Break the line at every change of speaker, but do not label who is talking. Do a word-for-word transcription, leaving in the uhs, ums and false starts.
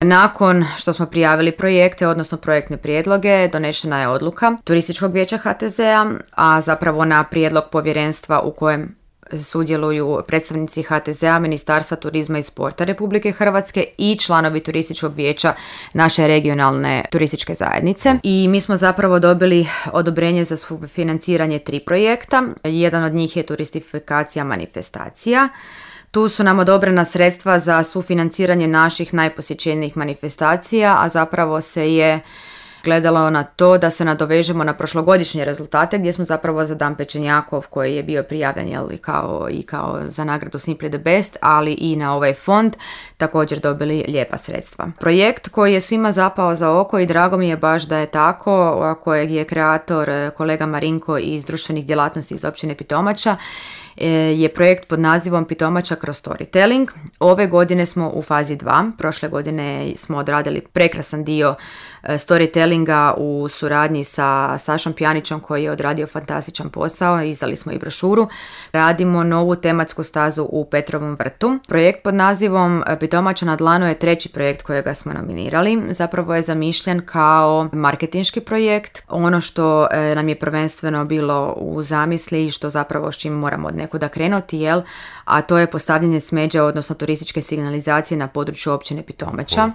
Nakon što smo prijavili projekte, odnosno projektne prijedloge, donešena je odluka Turističkog vijeća H T Z-a, a zapravo na prijedlog povjerenstva u kojem sudjeluju predstavnici H T Z-a, Ministarstva turizma i sporta Republike Hrvatske i članovi Turističkog vijeća naše regionalne turističke zajednice. I mi smo zapravo dobili odobrenje za financiranje tri projekta. Jedan od njih je turistifikacija manifestacija. Tu su nam odobrena sredstva za sufinanciranje naših najposjećenijih manifestacija, a zapravo se je gledalo na to da se nadovežemo na prošlogodišnje rezultate gdje smo zapravo za Dan Pečenjakov koji je bio prijavljen jel, kao, i kao za nagradu Simply the Best, ali i na ovaj fond također dobili lijepa sredstva. Projekt koji je svima zapao za oko i drago mi je baš da je tako, kojeg je kreator kolega Marinko iz društvenih djelatnosti iz općine Pitomača, je projekt pod nazivom Pitomača kroz storytelling. Ove godine smo u fazi dva, prošle godine smo odradili prekrasan dio storytellinga u suradnji sa Sašom Pjanićom koji je odradio fantastičan posao, izdali smo i brošuru. Radimo novu tematsku stazu u Petrovom vrtu. Projekt pod nazivom Pitomača na dlanu je treći projekt kojega smo nominirali. Zapravo je zamišljen kao marketinški projekt. Ono što nam je prvenstveno bilo u zamisli i što zapravo s čim moramo od nekuda krenuti, jel? A to je postavljanje smeđa, odnosno turističke signalizacije na području općine Pitomača.